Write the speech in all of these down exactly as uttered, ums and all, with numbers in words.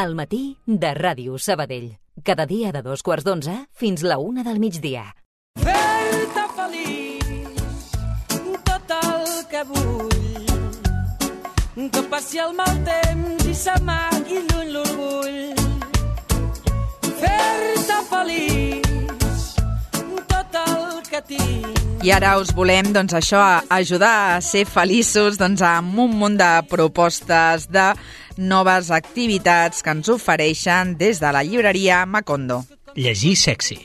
al matí de Ràdio Sabadell. Cada dia de dos quarts d'onze fins la una del migdia. Fer-te feliç, tot el que vull, que passi el mal temps i s'amagui lluny l'orgull. Fer-te feliç, tot el que tinc. I ara us volem, doncs això, ajudar a ser feliços doncs, amb un munt de propostes, de noves activitats que ens ofereixen des de la llibreria Macondo. Llegir sexy.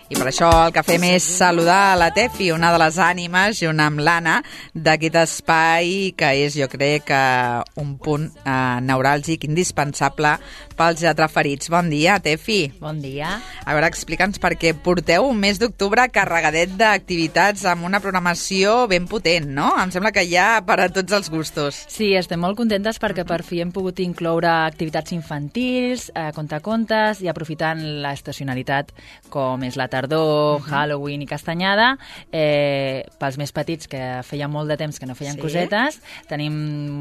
I per això el que fem és saludar a la Tefi, una de les ànimes, junt amb l'Anna, d'aquest espai que és, jo crec, un punt eh, neuràlgic indispensable pels lletraferits. Bon dia, Tefi. Bon dia. A veure, explica'ns perquè porteu un mes d'octubre carregadet d'activitats amb una programació ben potent, no? Em sembla que hi ha per a tots els gustos. Sí, estem molt contentes perquè per fi hem pogut incloure activitats infantils, eh, contacontes i aprofitant la estacionalitat com és la tardor, uh-huh. Halloween i castanyada, eh, pels més petits que feia molt de temps que no feien sí. cosetes, tenim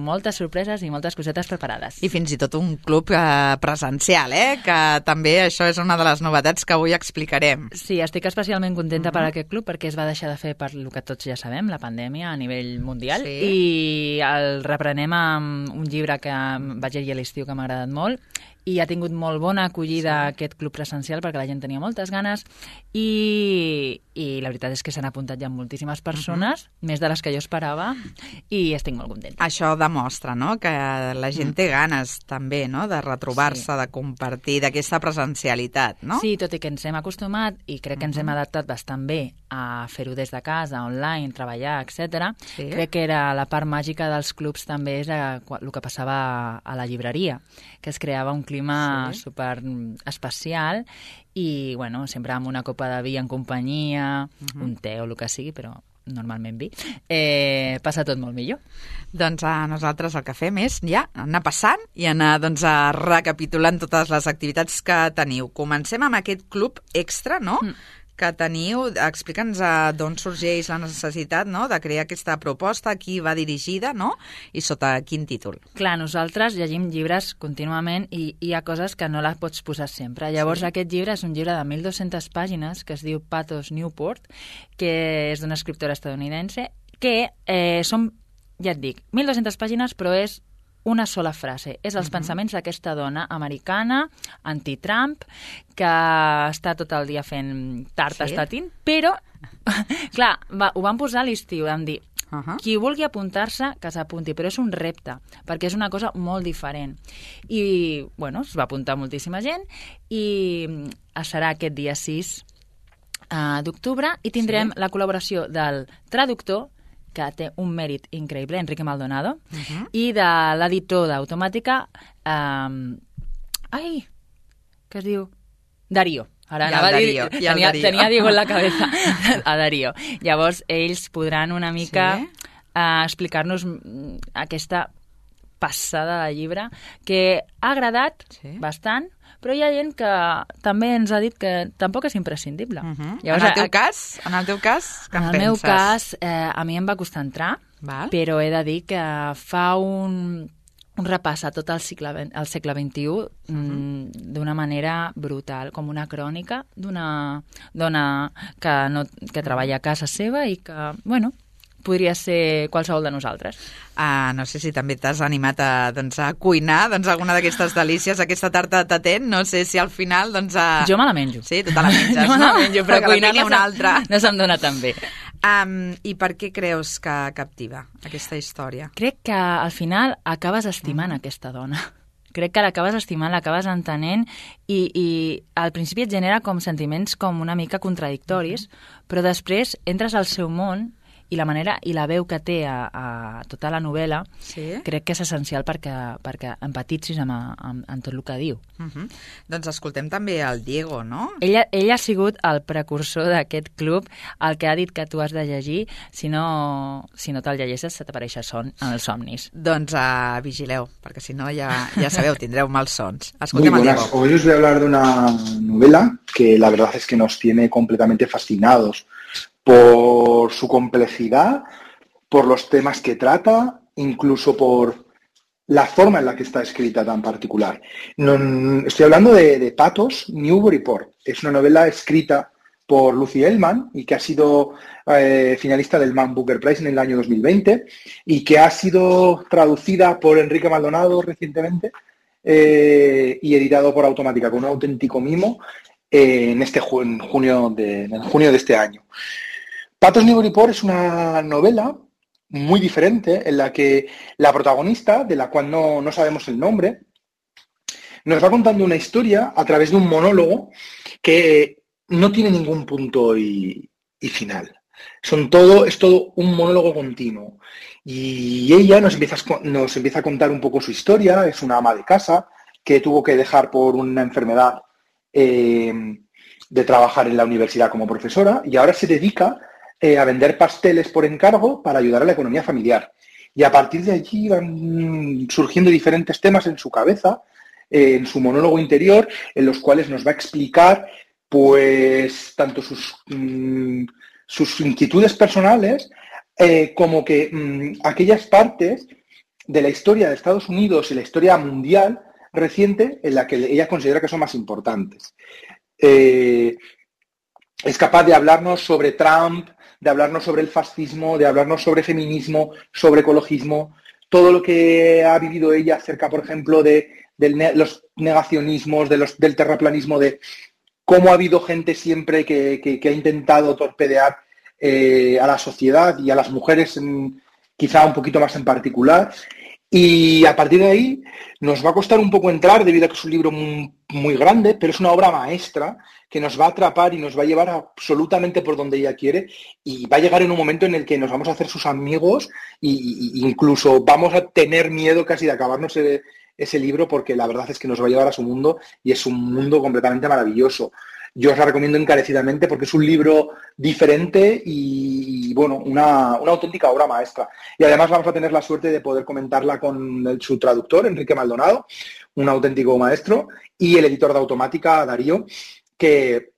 moltes sorpreses i moltes cosetes preparades. I fins i tot un club eh, presencial, eh? Que també això és una de les novetats que avui explicarem. Sí, estic especialment contenta uh-huh. per aquest club perquè es va deixar de fer per el que tots ja sabem, la pandèmia a nivell mundial, sí. i el reprenem amb un llibre que vaig llegir a l'estiu que m'ha agradat molt i ha tingut molt bona acollida sí. aquest club presencial perquè la gent tenia moltes ganes i, i la veritat és que s'han apuntat ja moltíssimes persones, uh-huh. més de les que jo esperava, i estic molt contenta. Això demostra, no?, que la gent té ganes també, no?, de retrobar-se, sí. de compartir, d'aquesta presencialitat, no? Sí, tot i que ens hem acostumat i crec que ens hem adaptat bastant bé a fer-ho des de casa, online, treballar, etcètera. Sí. Crec que era la part màgica dels clubs també és el que passava a la llibreria, que es creava un clima sí. super especial i, bueno, sempre amb una copa de vi en companyia, uh-huh. un te o el que sigui, però normalment vi, eh, passa tot molt millor. Doncs a nosaltres el que fem és ja anar passant i anar doncs, a recapitulant totes les activitats que teniu. Comencem amb aquest club extra, no?, mm. que teniu. Explica'ns d'on sorgeix la necessitat, no?, de crear aquesta proposta, a qui va dirigida, no?, i sota quin títol. Clar, nosaltres llegim llibres contínuament i hi ha coses que no les pots posar sempre. Llavors, sí. aquest llibre és un llibre de mil dues-centes pàgines que es diu Patos Newport, que és d'una escriptora estadounidense, que eh, són, ja et dic, mil dues-centes pàgines, però és una sola frase. És els uh-huh. pensaments d'aquesta dona americana, anti-Trump, que està tot el dia fent tartes sí. tatint, però, clar, va, ho van posar a l'estiu, vam dir, uh-huh. qui vulgui apuntar-se, que s'apunti, però és un repte, perquè és una cosa molt diferent. I, bueno, es va apuntar moltíssima gent i serà aquest dia sis uh, d'octubre i tindrem sí. la col·laboració del traductor, que té un mèrit increïble, Enrique Maldonado, uh-huh. i de l'editor d'Automàtica, um, ai, què es diu? Darío. Ara ja, Darío, dir, ja tenia, Darío. tenia Diego en la cabeza, a Darío. Llavors, ells podran una mica sí. uh, explicar-nos aquesta passada de llibre que ha agradat sí. bastant, però hi ha gent que també ens ha dit que tampoc és imprescindible. Uh-huh. Llavors, en el teu cas, en el teu cas, què en penses? En el meu cas, eh, a mi em va costar entrar, Val. però he de dir que fa un, un repàs a tot el, cicle, el segle vint-i-u uh-huh. mm, d'una manera brutal, com una crònica d'una dona que, no, que treballa a casa seva i que, bueno, podria ser qualsevol de nosaltres. Uh, no sé si també t'has animat a, doncs, a cuinar doncs, alguna d'aquestes delícies, aquesta tarta de tatent, no sé si al final... Doncs, a... Jo me la menjo. Sí, tu te la menges, jo me la menjo, no? però cuinar no, una altra. no se'm dona tan bé. Um, I per què creus que captiva aquesta història? Crec que al final acabes estimant mm. aquesta dona. Crec que l'acabes estimant, l'acabes entenent i, i al principi et genera com sentiments com una mica contradictoris, mm. però després entres al seu món i la manera i la veu que té a, a tota la novel·la sí? crec que és essencial perquè, perquè empatitzis amb, amb, amb tot el que diu. Uh-huh. Doncs escoltem també el Diego, no? Ella, ell ha sigut el precursor d'aquest club, el que ha dit que tu has de llegir, si no, si no te'l llegeixes se t'apareix son en els somnis. Doncs uh, vigileu, perquè si no ja, ja sabeu, tindreu mals sons. Escoltem Muy buenas, hoy os voy a hablar de una novela que la verdad es que nos tiene completamente fascinados por su complejidad, por los temas que trata, incluso por la forma en la que está escrita tan particular. No, estoy hablando de, de Patos Newburyport. Es una novela escrita por Lucy Ellmann y que ha sido eh, finalista del Man Booker Prize en el año dos mil veinte y que ha sido traducida por Enrique Maldonado recientemente eh, y editado por Automática con un auténtico mimo eh, en este ju- en junio de, en junio de este año. Patos Newburyport es una novela muy diferente en la que la protagonista, de la cual no, no sabemos el nombre, nos va contando una historia a través de un monólogo que no tiene ningún punto y, y final. Son todo, es todo un monólogo continuo. Y ella nos empieza, a, nos empieza a contar un poco su historia. Es una ama de casa que tuvo que dejar por una enfermedad eh, de trabajar en la universidad como profesora y ahora se dedica eh, a vender pasteles por encargo para ayudar a la economía familiar. Y a partir de allí van surgiendo diferentes temas en su cabeza, eh, en su monólogo interior, en los cuales nos va a explicar pues tanto sus, mmm, sus inquietudes personales eh, como que mmm, aquellas partes de la historia de Estados Unidos y la historia mundial reciente en la que ella considera que son más importantes. Eh, es capaz de hablarnos sobre Trump, de hablarnos sobre el fascismo, de hablarnos sobre feminismo, sobre ecologismo, todo lo que ha vivido ella acerca, por ejemplo, de, de los negacionismos, de los, del terraplanismo, de cómo ha habido gente siempre que, que, que ha intentado torpedear eh, a la sociedad y a las mujeres en, quizá un poquito más en particular. Y a partir de ahí nos va a costar un poco entrar debido a que es un libro muy, muy grande, pero es una obra maestra que nos va a atrapar y nos va a llevar absolutamente por donde ella quiere y va a llegar en un momento en el que nos vamos a hacer sus amigos e incluso vamos a tener miedo casi de acabarnos ese, ese libro porque la verdad es que nos va a llevar a su mundo y es un mundo completamente maravilloso. Yo os la recomiendo encarecidamente porque es un libro diferente y, bueno, una, una auténtica obra maestra. Y además vamos a tener la suerte de poder comentarla con el, su traductor, Enrique Maldonado, un auténtico maestro, y el editor de Automática, Darío, que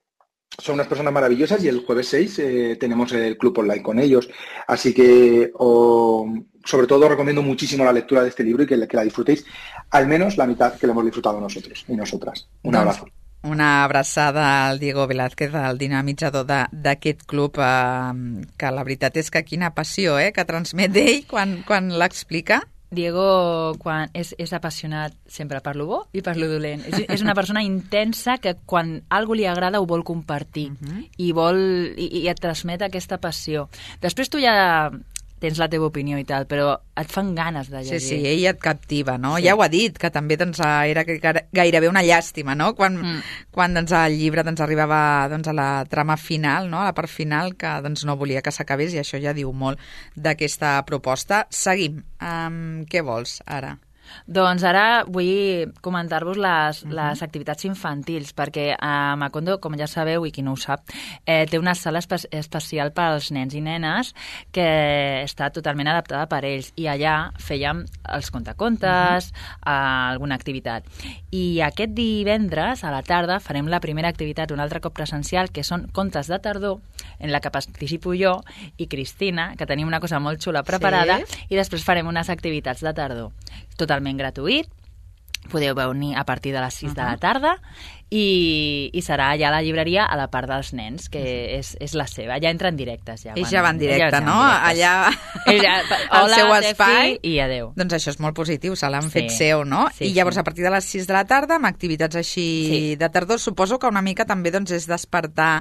son unas personas maravillosas y el jueves seis eh, tenemos el club online con ellos. Así que, oh, sobre todo, recomiendo muchísimo la lectura de este libro y que, que la disfrutéis al menos la mitad que lo hemos disfrutado nosotros y nosotras. Un abrazo. Una abraçada al Diego Velázquez, el dinamitzador d'aquest club, eh, que la veritat és que quina passió eh, que transmet ell quan, quan l'explica. Diego quan és, és apassionat sempre per lo bo i per lo dolent. És, és una persona intensa que quan algú li agrada ho vol compartir uh-huh. i, vol, i, i et transmet aquesta passió. Després tu ja tens la teva opinió i tal, però et fan ganes de llegir. Sí, sí, ell et captiva, no? Sí. Ja ho ha dit, que també doncs, era gairebé una llàstima, no? Quan, mm. quan doncs, el llibre doncs, arribava doncs, a la trama final, no? A la part final, que doncs, no volia que s'acabés, i això ja diu molt d'aquesta proposta. Seguim. Um, què vols ara? Doncs ara vull comentar-vos les, uh-huh. les activitats infantils, perquè a Macondo, com ja sabeu, i qui no ho sap, eh, té una sala espe- especial per als nens i nenes que està totalment adaptada per ells. I allà fèiem els contacontes, uh-huh. alguna activitat. I aquest divendres, a la tarda, farem la primera activitat, un altre cop presencial, que són contes de tardor, en la que participo jo i Cristina, que tenim una cosa molt xula preparada, sí. I després farem unes activitats de tardor. Totalment gratuït, podeu venir a partir de les sis uh-huh. de la tarda i, i serà allà a la llibreria a la part dels nens, que uh-huh. és, és la seva. Ja entren directes. Ja, ells ja van directe, no? Allà Ella, al hola, seu espai. I adeu. Doncs això és molt positiu, se l'han sí. fet seu, no? Sí, I llavors sí. a partir de les sis de la tarda, amb activitats així sí. de tardor, suposo que una mica també doncs, és despertar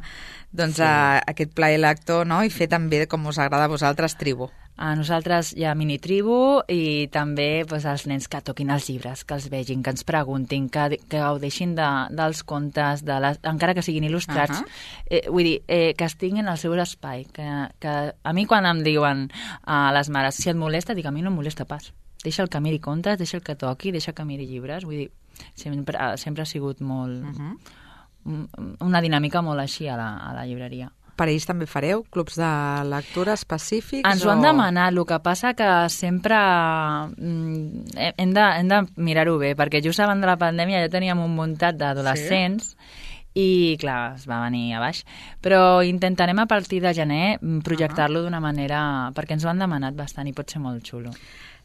doncs, sí. a, aquest plaer lector, no? I fer també, com us agrada a vosaltres, tribu. A nosaltres hi ha mini-tribu i també doncs, els nens que toquin els llibres, que els vegin, que ens preguntin, que, que gaudeixin de, dels contes, de les, encara que siguin il·lustrats. Uh-huh. Eh, vull dir, eh, que estiguin al seu espai. Que, que a mi quan em diuen a les mares, si et molesta, dic, a mi no em molesta pas. Deixa el que miri contes, deixa el que toqui, deixa que miri llibres. Vull dir, sempre, sempre ha sigut molt... Uh-huh. una dinàmica molt així a la, a la llibreria. Per ells també fareu clubs de lectura específics? Ens ho o... han demanat, el que passa que sempre mm, hem de, hem de mirar-ho bé, perquè just abans de la pandèmia ja teníem un muntat d'adolescents sí? I, clar, es va venir a baix. Però intentarem a partir de gener projectar-lo uh-huh. d'una manera... perquè ens ho han demanat bastant i pot ser molt xulo.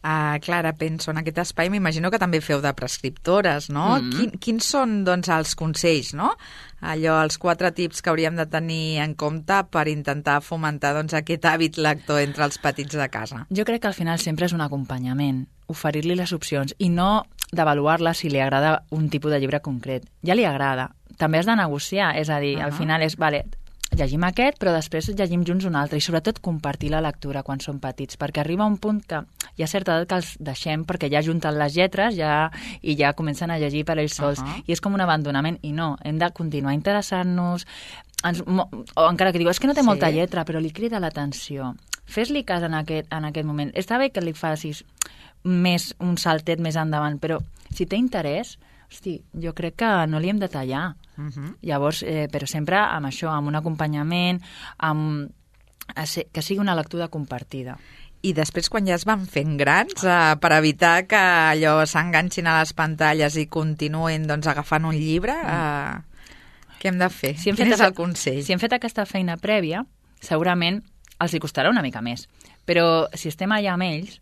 Uh, Clara, penso en aquest espai, m'imagino que també feu de prescriptores, no? Mm-hmm. Quin, quins són, doncs, els consells, no? Allò, els quatre tips que hauríem de tenir en compte per intentar fomentar, doncs, aquest hàbit lector entre els petits de casa. Jo crec que al final sempre és un acompanyament, oferir-li les opcions i no d'avaluar-la si li agrada un tipus de llibre concret. Ja li agrada. També has de negociar, és a dir, uh-huh. al final és, vale, llegim aquest, però després llegim junts un altre i sobretot compartir la lectura quan són petits, perquè arriba un punt que hi ha certa edat que els deixem perquè ja junten les lletres ja, i ja comencen a llegir per ells sols, uh-huh. i és com un abandonament, i no, hem de continuar interessant-nos, ens, o encara que diu, és que no té sí. molta lletra, però li crida l'atenció. Fes-li cas en aquest, en aquest moment. Està bé que li facis més un saltet més endavant, però si té interès, hosti, jo crec que no li hem de tallar. Uh-huh. Llavors, eh, però sempre amb això, amb un acompanyament, amb, que sigui una lectura compartida. I després, quan ja es van fent grans, eh, per evitar que allò s'enganxin a les pantalles i continuïn, doncs, agafant un llibre, eh, què hem de fer? Si hem Quin fet és el consell? Si hem fet aquesta feina prèvia, segurament els hi costarà una mica més. Però si estem allà amb ells,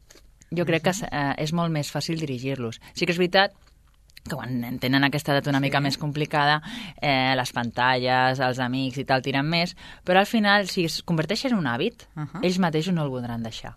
jo crec que eh, és molt més fàcil dirigir-los. Sí que és veritat que quan tenen aquesta edat una mica sí. més complicada, eh, les pantalles, els amics i tal tiren més, però al final, si es converteix en un hàbit, uh-huh. ells mateixos no el voldran deixar.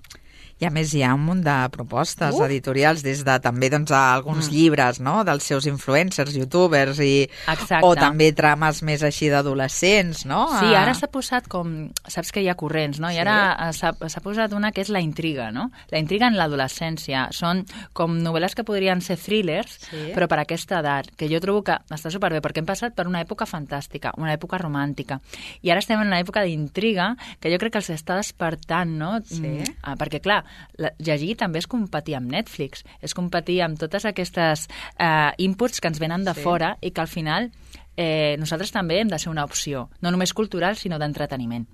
I a més hi ha un munt de propostes uh. editorials, des de també doncs, alguns mm. llibres, no?, dels seus influencers, youtubers, i Exacte. o també trames més així d'adolescents, no? Sí, ara s'ha posat com... Saps que hi ha corrents, no? I sí. ara s'ha posat una que és la intriga, no? La intriga en l'adolescència. Són com novel·les que podrien ser thrillers, sí. però per aquesta edat, que jo trobo que està superbé, perquè hem passat per una època fantàstica, una època romàntica, i ara estem en una època d'intriga que jo crec que els està despertant, no? Sí. Mm, perquè, clar, La, llegir també és competir amb Netflix, és competir amb totes aquestes eh, inputs que ens venen de sí. fora i que al final eh, nosaltres també hem de ser una opció, no només cultural, sinó d'entreteniment.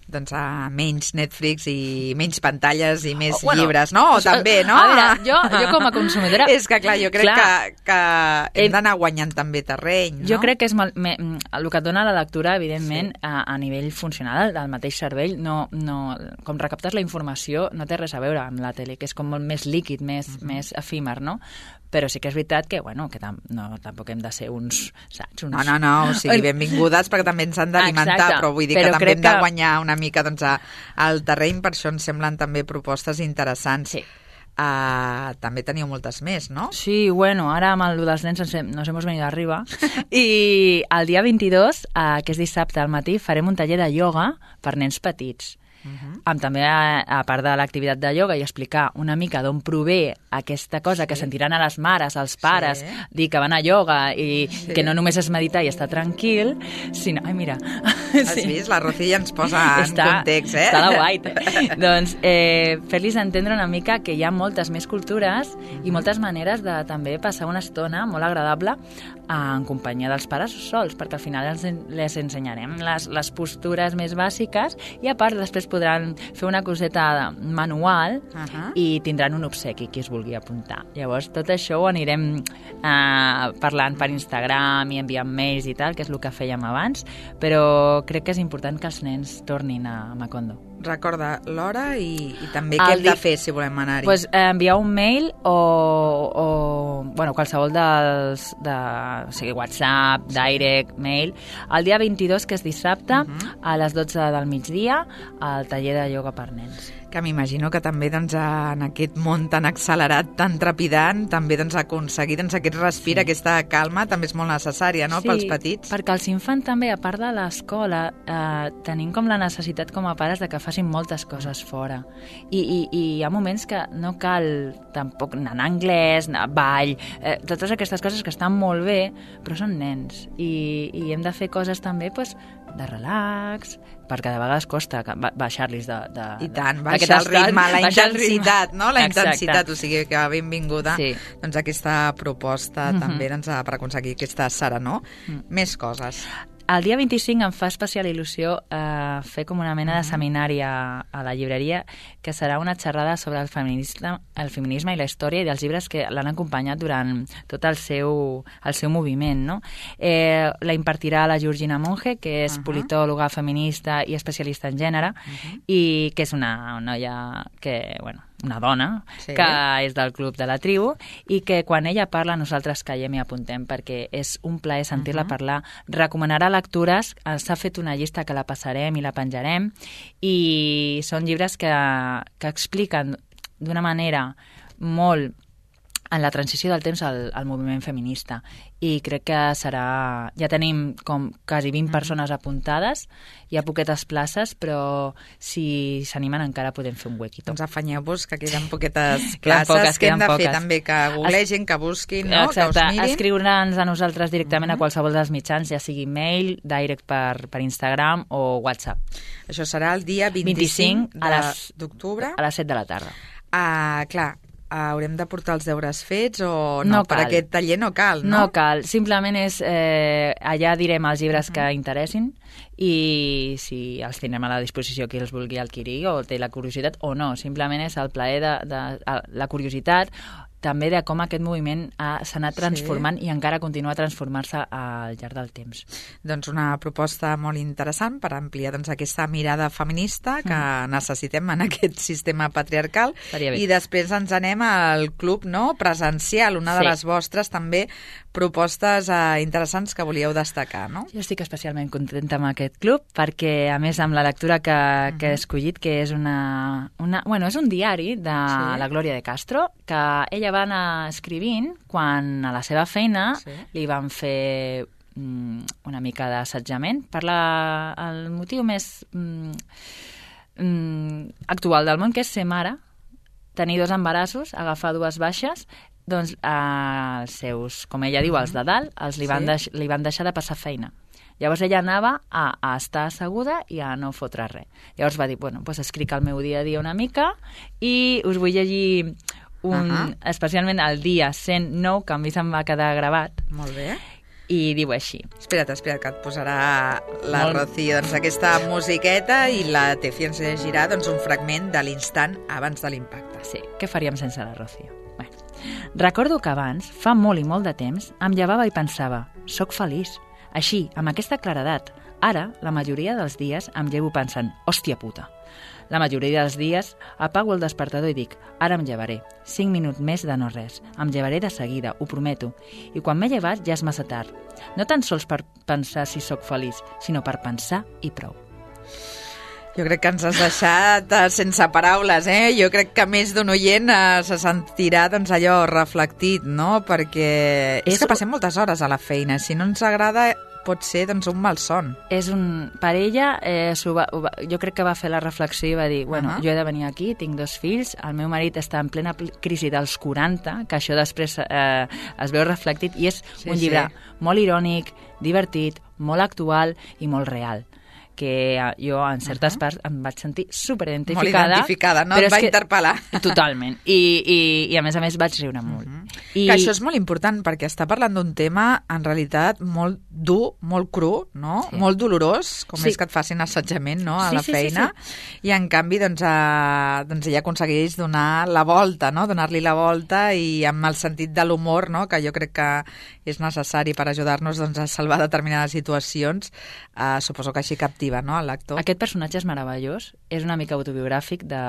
Doncs a menys Netflix i menys pantalles i més bueno, llibres, no? O també, no? A veure, jo, jo com a consumidora... És que, clar, jo crec clar, que, que hem d'anar guanyant també terreny, no? Jo crec que és mal, me, el que et dona la lectura, evidentment, sí. a, a nivell funcional, del mateix cervell, no, no, com recaptes la informació, no té res a veure amb la tele, que és com molt més líquid, més, uh-huh. més efímer, no? Però sí que és veritat que, bueno, que tam no, tampoc hem de ser uns, saps? Uns... No, no, no, o sigui, benvingudes perquè també ens han d'alimentar, però vull dir però que també hem de guanyar una mica doncs, a, al terreny, per això ens semblen també propostes interessants. Sí. Uh, també teniu moltes més, no? Sí, bueno, ara amb el dels nens ens, hem, nos hemos venido arriba i el dia vint-i-dos, uh, que és dissabte al matí, farem un taller de ioga per nens petits. Uh-huh. Amb també, a, a part de l'activitat de ioga, i explicar una mica d'on prové aquesta cosa sí. que sentiran a les mares, als pares, sí. dir que van a ioga i sí. que no només és meditar i estar tranquil, sinó... Ai, mira... Has sí. vist? La Rocío ja ens posa està, en context, eh? Està la white. Doncs eh, fer-los entendre una mica que hi ha moltes més cultures uh-huh. i moltes maneres de també passar una estona molt agradable en companyia dels pares sols, perquè al final els, les ensenyarem les, les postures més bàsiques i a part després podran fer una coseta manual uh-huh. i tindran un obsequi qui es vulgui apuntar. Llavors tot això ho anirem eh, parlant per Instagram i enviant mails i tal, que és el que fèiem abans, però crec que és important que els nens tornin a Macondo. Recorda l'hora i, i també què hem de fer si volem anar-hi. Pues, eh, enviar un mail o, o bueno, qualsevol dels de, o sigui, WhatsApp, direct, mail, el dia vint-i-dos, que és dissabte, uh-huh. a les dotze del migdia, al taller de ioga per nens. Que m'imagino que també doncs, en aquest món tan accelerat, tan trepidant, també doncs, aconseguir doncs, aquest respir, sí. aquesta calma, també és molt necessària, no?, sí, pels petits. Perquè els infants també, a part de l'escola, eh, tenim com la necessitat com a pares de que facin moltes coses fora. I, i, i hi ha moments que no cal tampoc anar en anglès, anar a ball, eh, totes aquestes coses que estan molt bé, però són nens. I, i hem de fer coses també pues, de relax, perquè de vegades costa baixar-los de, de... I tant, baixar el ritme, la intensitat, no? La Exacte. intensitat, o sigui que benvinguda sí. doncs, aquesta proposta mm-hmm. també doncs, per aconseguir aquesta serenor. Mm. Més coses. El dia vint-i-cinc em fa especial il·lusió eh, fer com una mena de seminari a, a la llibreria, que serà una xerrada sobre el feminisme, el feminisme i la història i dels llibres que l'han acompanyat durant tot el seu, el seu moviment. No? Eh, la impartirà la Georgina Monge, que és uh-huh. politòloga, feminista i especialista en gènere, uh-huh. i que és una noia que, bueno, una dona, Sí. que és del club de la tribu, i que quan ella parla nosaltres callem i apuntem, perquè és un plaer sentir-la Uh-huh. parlar. Recomanarà lectures, eh, s'ha fet una llista que la passarem i la penjarem, i són llibres que, que expliquen d'una manera molt en la transició del temps al, al moviment feminista, i crec que serà... Ja tenim com quasi vint persones apuntades, hi ha poquetes places, però si s'animen encara podem fer un huequito. Doncs afanyeu-vos, que queden poquetes Queden places, poques, que hem queden de fer poques. també, que googlegin, que busquin, no? Exacte, Que us mirin. escriure'ns a nosaltres directament a qualsevol dels mitjans, ja sigui mail, direct per, per Instagram o WhatsApp. Això serà el dia vint-i-cinc vint-i-cinc a les- d'octubre. A les set de la tarda. Ah, clar, haurem de portar els deures fets o no? No Per cal. aquest taller no cal, no? No cal, simplement és... Eh, allà direm els llibres que interessin i si els tindrem a la disposició qui els vulgui adquirir o té la curiositat o no. Simplement és el plaer de, de, de la curiositat, també de com aquest moviment ha- s'ha anat transformant Sí. i encara continua a transformar-se al llarg del temps. Doncs una proposta molt interessant per ampliar doncs, aquesta mirada feminista que mm. necessitem en aquest sistema patriarcal. Estaria bé. I després ens anem al club, no?, presencial, una de Sí. les vostres també propostes eh, interessants que volíeu destacar, no? Jo estic especialment contenta amb aquest club perquè, a més, amb la lectura que, que he escollit, que és una, una... Bueno, és un diari de Sí. la Glòria de Castro, que ella va anar escrivint quan a la seva feina Sí. li van fer mm, una mica d'assetjament per la, el motiu més mm, mm, actual del món, que és ser mare, tenir dos embarassos, agafar dues baixes, doncs eh, els seus, com ella diu, els de dalt, els li van, Sí. deix, li van deixar de passar feina. Llavors ella anava a, a estar asseguda i a no fotre res. Llavors va dir, bueno, doncs escric el meu dia a dia una mica i us vull llegir un, Ahà. especialment el dia cent nou, que a mi se'm va quedar gravat, Molt bé. i diu així. Espera't, espera't, que et posarà la Molt- Rocío doncs, aquesta musiqueta i la Tefi ens llegirà doncs, un fragment de l'instant abans de l'impacte. Sí, què faríem sense la Rocío? Bé. Recordo que abans, fa molt i molt de temps, em llevava i pensava, soc feliç. Així, amb aquesta claredat. Ara, la majoria dels dies em llevo pensant, hòstia puta. La majoria dels dies apago el despertador i dic, ara em llevaré. Cinc minuts més de no res. Em llevaré de seguida, ho prometo. I quan m'he llevat ja és massa tard. No tan sols per pensar si sóc feliç, sinó per pensar i prou. Jo crec que ens has deixat eh, sense paraules, eh? Jo crec que més d'un oient eh, se sentirà doncs, allò reflectit, no? Perquè és, És- que passem moltes hores a la feina. Si no ens agrada, pot ser doncs, un malson. És un... Per ella, eh, s'ho va, ho va, jo crec que va fer la reflexió i va dir, bueno, Ahà. jo he de venir aquí, tinc dos fills, el meu marit està en plena pl- crisi dels quaranta, que això després eh, es veu reflectit, i és Sí, un llibre sí. molt irònic, divertit, molt actual i molt real, que eh, jo en certes Ahà. parts em vaig sentir superidentificada. Molt identificada, no? però Et és va que- interpel·lar. Totalment. I, i, I a més a més vaig riure molt. I... Que això és molt important, perquè està parlant d'un tema, en realitat, molt dur, molt cru, no? Sí. Molt dolorós, com Sí. és que et facin assetjament, no?, a Sí, la sí, sí, feina. I, en canvi, doncs, eh, doncs ella aconsegueix donar la volta, no?, donar-li la volta, i amb el sentit de l'humor, no?, que jo crec que és necessari per ajudar-nos doncs, a salvar determinades situacions, eh, suposo que així captiva, no?, el lector. Aquest personatge és meravellós, és una mica autobiogràfic de,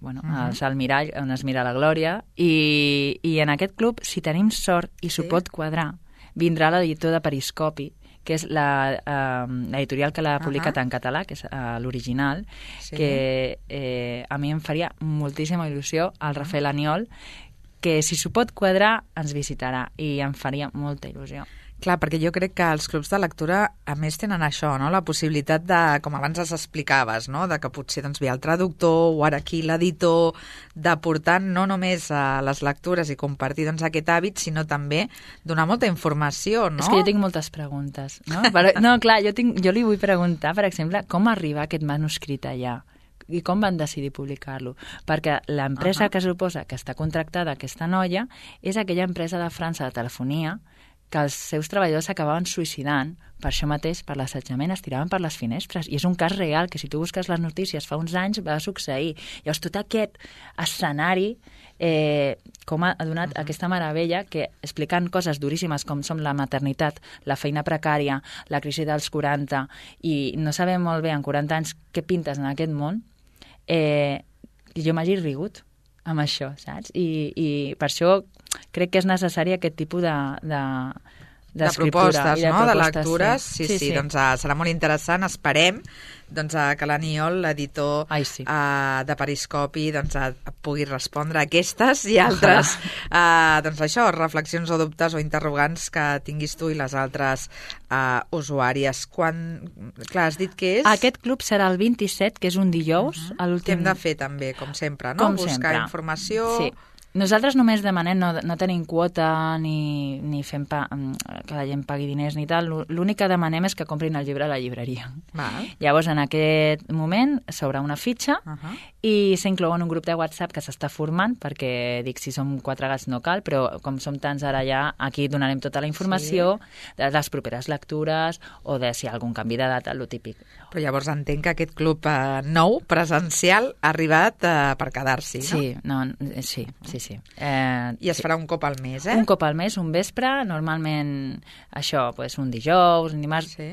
bueno, Mhm. el Salt Mirall, on es mira la glòria, i, i en aquest club, si tenim sort i s'ho Sí. pot quadrar, vindrà l'editor de Periscopi, que és la, eh, l'editorial que l'ha publicat Ahà. en català, que és eh, l'original, Sí. que eh, a mi em faria moltíssima il·lusió, el Rafael Aniol, que si s'ho pot quadrar ens visitarà i em faria molta il·lusió. Clar, perquè jo crec que els clubs de lectura, a més, tenen això, no?, la possibilitat de, com abans es explicaves, no?, de que potser doncs, ve el traductor o ara aquí l'editor, d'aportar no només a les lectures i compartir doncs, aquest hàbit, sinó també donar molta informació, no? És que jo tinc moltes preguntes, no? Però, no, clar, jo, tinc, jo li vull preguntar, per exemple, com arribar aquest manuscrit allà? I com van decidir publicar-lo? Perquè l'empresa Ahà. que suposa que està contractada aquesta noia és aquella empresa de França de telefonia que els seus treballadors s'acabaven suïcidant per això mateix, per l'assetjament, es tiraven per les finestres. I és un cas real, que si tu busques les notícies fa uns anys va succeir. Llavors, tot aquest escenari eh, com ha donat uh -huh. aquesta meravella que explicant coses duríssimes com són la maternitat, la feina precària, la crisi dels quaranta, i no sabem molt bé en quaranta anys què pintes en aquest món, eh, jo m'hagi rigut. amb això, saps? I, i per això crec que és necessari aquest tipus de... de de propostes, de no? propostes, de lectures, sí, sí, sí, sí. sí. Doncs uh, serà molt interessant, esperem doncs, uh, que l'Aniol, l'editor Ai, sí. uh, de Periscopi, doncs, uh, pugui respondre a aquestes i altres, uh, doncs això, reflexions o dubtes o interrogants que tinguis tu i les altres uh, usuàries. Quan, clar, has dit que és... Aquest club serà el vint-i-set, que és un dijous. Uh -huh. Què hem de fer també, com sempre, no? Com Buscar sempre. informació... Sí. Nosaltres només demanem, no, no tenim quota ni, ni fem pa, que la gent pagui diners ni tal. L'únic que demanem és que comprin el llibre a la llibreria. Val. Llavors, en aquest moment, s'obre una fitxa uh -huh. i s'inclou en un grup de WhatsApp que s'està formant, perquè, dic, si som quatre gats no cal, però com som tants ara ja, aquí donarem tota la informació sí. de les properes lectures o de si hi ha algun canvi de data, lo típic. Però llavors entenc que aquest club eh, nou, presencial, ha arribat eh, per quedar-s'hi, no? Sí, no, sí, sí, sí. Eh, I es sí. farà un cop al mes, eh? Un cop al mes, un vespre, normalment això, pues, un dijous, un dimarts, sí.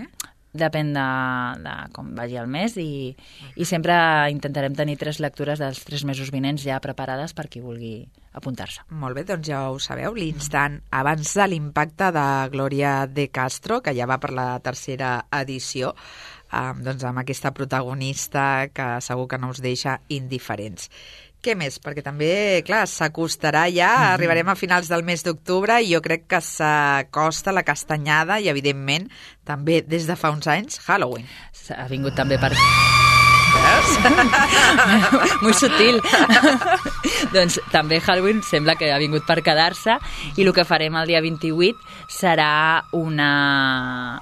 Depèn de, de com vagi el mes i, i sempre intentarem tenir tres lectures dels tres mesos vinents ja preparades per qui vulgui apuntar-se. Molt bé, doncs ja ho sabeu, l'instant abans de l'impacte de Glòria de Castro, que ja va per la tercera edició, eh, doncs amb aquesta protagonista que segur que no us deixa indiferents. Què més? Perquè també, clar, s'acostarà ja, mm-hmm. arribarem a finals del mes d'octubre i jo crec que s'acosta la castanyada i, evidentment, també des de fa uns anys, Halloween. Ha vingut també per... Muy sutil. Doncs també Halloween sembla que ha vingut per quedar-se i el que farem el dia vint-i-vuit serà una...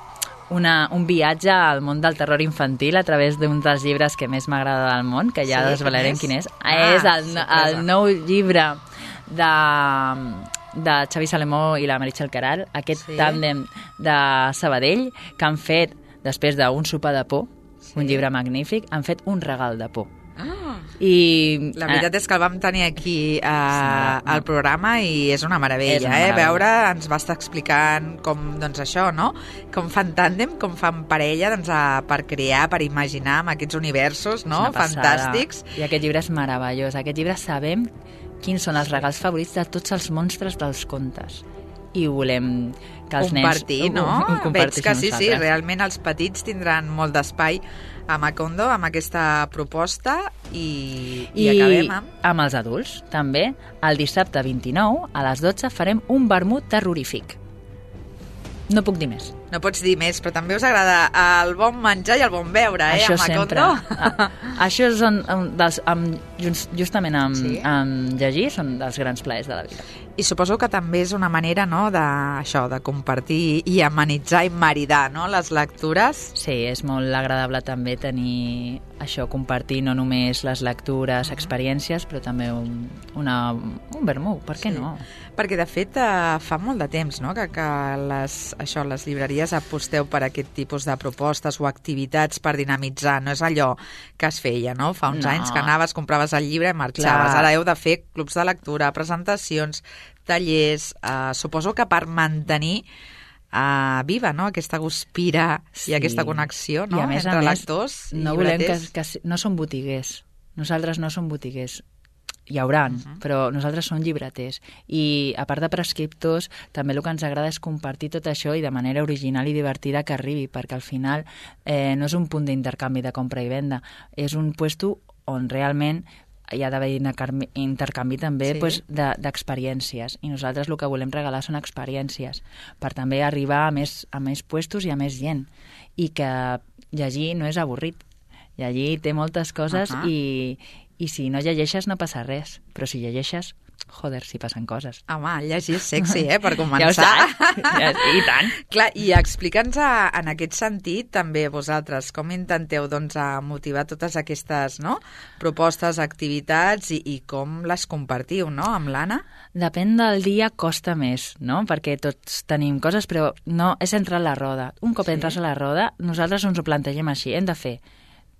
Una, un viatge al món del terror infantil a través d'un dels llibres que més m'agrada del món, que ja sí, desvelarem quin és. Ah, és el, el nou llibre de, de Xavi Salemó i la Meritxell Queralt, aquest sí. tàndem de Sabadell, que han fet, després d'un sopar de por, sí. un llibre magnífic, han fet un regal de por. Ah. I, la veritat és que el vam tenir aquí uh, al programa i és una meravella, és una eh? meravella. Veure, ens va estar explicant com, doncs això, no? Com fan tàndem, com fan parella, doncs, a, per crear, per imaginar amb aquests universos, no? Fantàstics. I aquest llibre és meravellós. Aquest llibre sabem quins són els regals favorits de tots els monstres dels contes. I volem que els compartir, nens... no? Ho, ho Veig que sí, nosaltres. sí, realment els petits tindran molt d'espai a Macondo amb aquesta proposta i, i, i acabem amb... amb els adults, també. El dissabte vint-i-nou, a les dotze, farem un vermut terrorífic. No puc dir més. No pots dir més, però també us agrada el bon menjar i el bon beure, eh, Això a Macondo? sempre. Això són dels, amb, justament amb, sí. amb llegir, són dels grans plaers de la vida. I suposo que també és una manera, no?, de, això, de compartir i amenitzar i maridar, no?, les lectures. Sí, és molt agradable també tenir això, compartir no només les lectures, experiències, però també un, una, un vermut, per què sí. no? Perquè, de fet, eh, fa molt de temps, no?, que, que les, això, les llibreries aposteu per aquest tipus de propostes o activitats per dinamitzar. No és allò que es feia, no?, fa uns no. anys que anaves, compraves el llibre i marxaves. Clar. Ara heu de fer clubs de lectura, presentacions, tallers, eh, suposo que per mantenir eh, viva, no?, aquesta guspira sí. i aquesta connexió, no?, I a més, entre a més, lectors i no volem que, llibreters. que... No som botiguers. Nosaltres no som botiguers. Hi hauran, uh -huh. però nosaltres som llibreters. I, a part de prescriptors, també el que ens agrada és compartir tot això i de manera original i divertida que arribi, perquè al final eh, no és un punt d'intercanvi de compra i venda, és un puesto on realment hi ha d'haver intercanvi també sí. pues, d'experiències. De, I nosaltres el que volem regalar són experiències per també arribar a més, a més puestos i a més gent. I que llegir no és avorrit. Llegir té moltes coses uh -huh. i, i si no llegeixes no passa res. Però si llegeixes, joder, si passen coses. Home, llegir és sexy, eh, per començar. Ja ho saps. I tant. Clar, i explica'ns a, en aquest sentit també vosaltres com intenteu doncs, a motivar totes aquestes no, propostes, activitats i, i com les compartiu, no, amb l'Anna? Depèn del dia, costa més, no? Perquè tots tenim coses, però no és entrar a la roda. Un cop sí. entres a la roda, nosaltres ens ho plantegem així. Hem de fer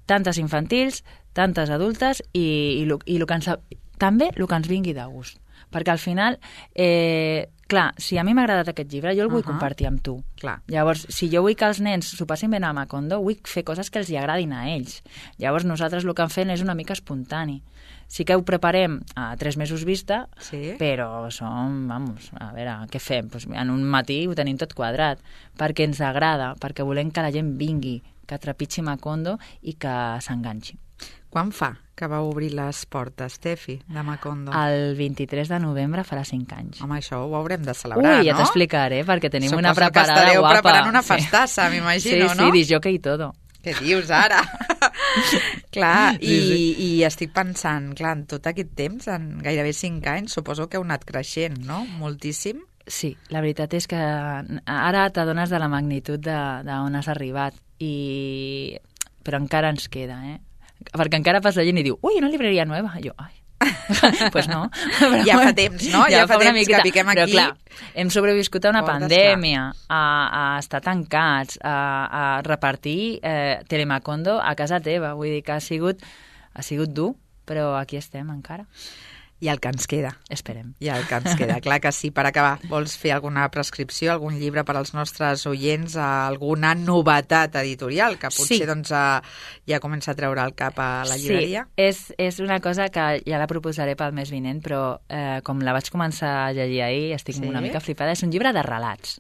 tantes infantils, tantes adultes i, i, i, i el que ens, també el que ens vingui de gust. Perquè al final eh, clar, si a mi m'ha agradat aquest llibre, jo el vull Uh-huh. compartir amb tu. Clar. Llavors, si jo vull que els nens s'ho passin bé a Macondo, vull fer coses que els hi agradin a ells. Llavors, nosaltres el que hem fet és una mica espontani. Sí que ho preparem a tres mesos vista, Sí. però som, vamos, a veure, què fem? Pues en un matí ho tenim tot quadrat, perquè ens agrada, perquè volem que la gent vingui, que trepitgi Macondo i que s'enganxi. Quan fa que va obrir les portes, Tefi, de Macondo? El vint-i-tres de novembre farà cinc anys. Home, això ho haurem de celebrar, Ui, ja no? t'explicaré, perquè tenim Suposo una preparada que estareu guapa. preparant una Sí. festassa, m'imagino, sí, no? Sí, disjockey i todo. Què dius ara? Clar, i, Sí, sí. i estic pensant, clar, en tot aquest temps, en gairebé cinc anys, suposo que heu anat creixent, no? Moltíssim. Sí, la veritat és que ara t'adones de la magnitud d'on has arribat, i... però encara ens queda, eh? Perquè encara passa gent i diu, ui, una libreria nova. I jo, ai, pues no. Però, Ja fa temps, no? Ja fa una temps que piquem Però aquí. clar, hem sobreviscut a una Portes, pandèmia, a, a estar tancats, a, a repartir eh, Telemacondo a casa teva. Vull dir que ha sigut, ha sigut dur, però aquí estem encara. I el que ens queda. Esperem. I el que ens queda. Clar que sí. Per acabar, vols fer alguna prescripció, algun llibre per als nostres oients, alguna novetat editorial que potser Sí. doncs, eh, ja comença a treure el cap a la llibreria? Sí, és, és una cosa que ja la proposaré pel mes vinent, però eh, com la vaig començar a llegir ahir, estic Sí? una mica flipada. És un llibre de relats.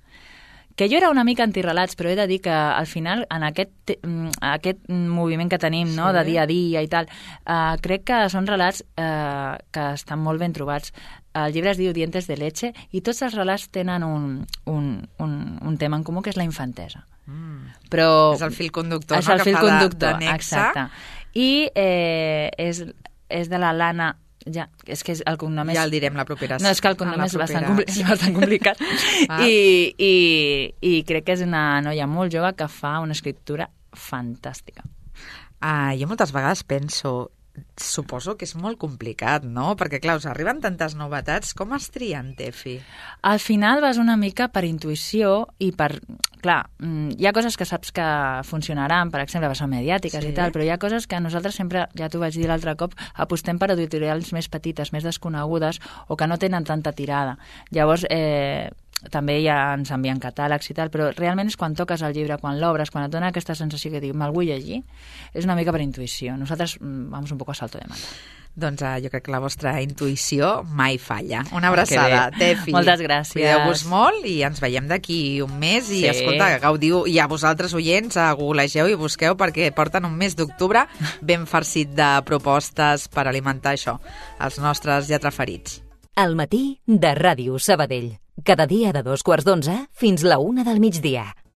Que jo era una mica antirelats, però he de dir que al final, en aquest, te- mm, aquest moviment que tenim, no?, Sí. de dia a dia i tal, eh, crec que són relats eh, que estan molt ben trobats. El llibre es diu Dientes de leche i tots els relats tenen un, un, un, un tema en comú, que és la infantesa. Mm. Però És el fil conductor, és no?, el que fil fa de- conductor, de nexe. exacte. I eh, és, és de la Lana... Ja, és que és el cognom és... Ja el direm la propera. No, és que el cognom a la és bastant, propera- compli és bastant complicat. Ah. I, i, I crec que és una noia molt jove que fa una escriptura fantàstica. Ah, jo moltes vegades penso, suposo que és molt complicat, no? Perquè, clar, us arriben tantes novetats, com es trien, Tefi? Al final vas una mica per intuïció i per... Clar, mm, hi ha coses que saps que funcionaran, per exemple, són mediàtiques Sí. i tal, però hi ha coses que nosaltres sempre, ja t'ho vaig dir l'altre cop, apostem per editorials més petites, més desconegudes o que no tenen tanta tirada. Llavors, eh, també ja ens envien catàlegs i tal, però realment és quan toques el llibre, quan l'obres, quan et dona aquesta sensació que dius, me'l vull llegir, és una mica per intuïció. Nosaltres mm, vamos un poco a salto de mata. Doncs uh, jo crec que la vostra intuïció mai falla. Una abraçada, Que bé. Tefi. Moltes gràcies. Cuideu-vos molt i ens veiem d'aquí un mes. I Sí. escolta, gaudiu, i a vosaltres, oients, uh, googlegeu i busqueu perquè porten un mes d'octubre ben farcit de propostes per alimentar això, els nostres lletraferits. Al matí de Ràdio Sabadell. Cada dia de dos quarts d'onze fins la una del migdia.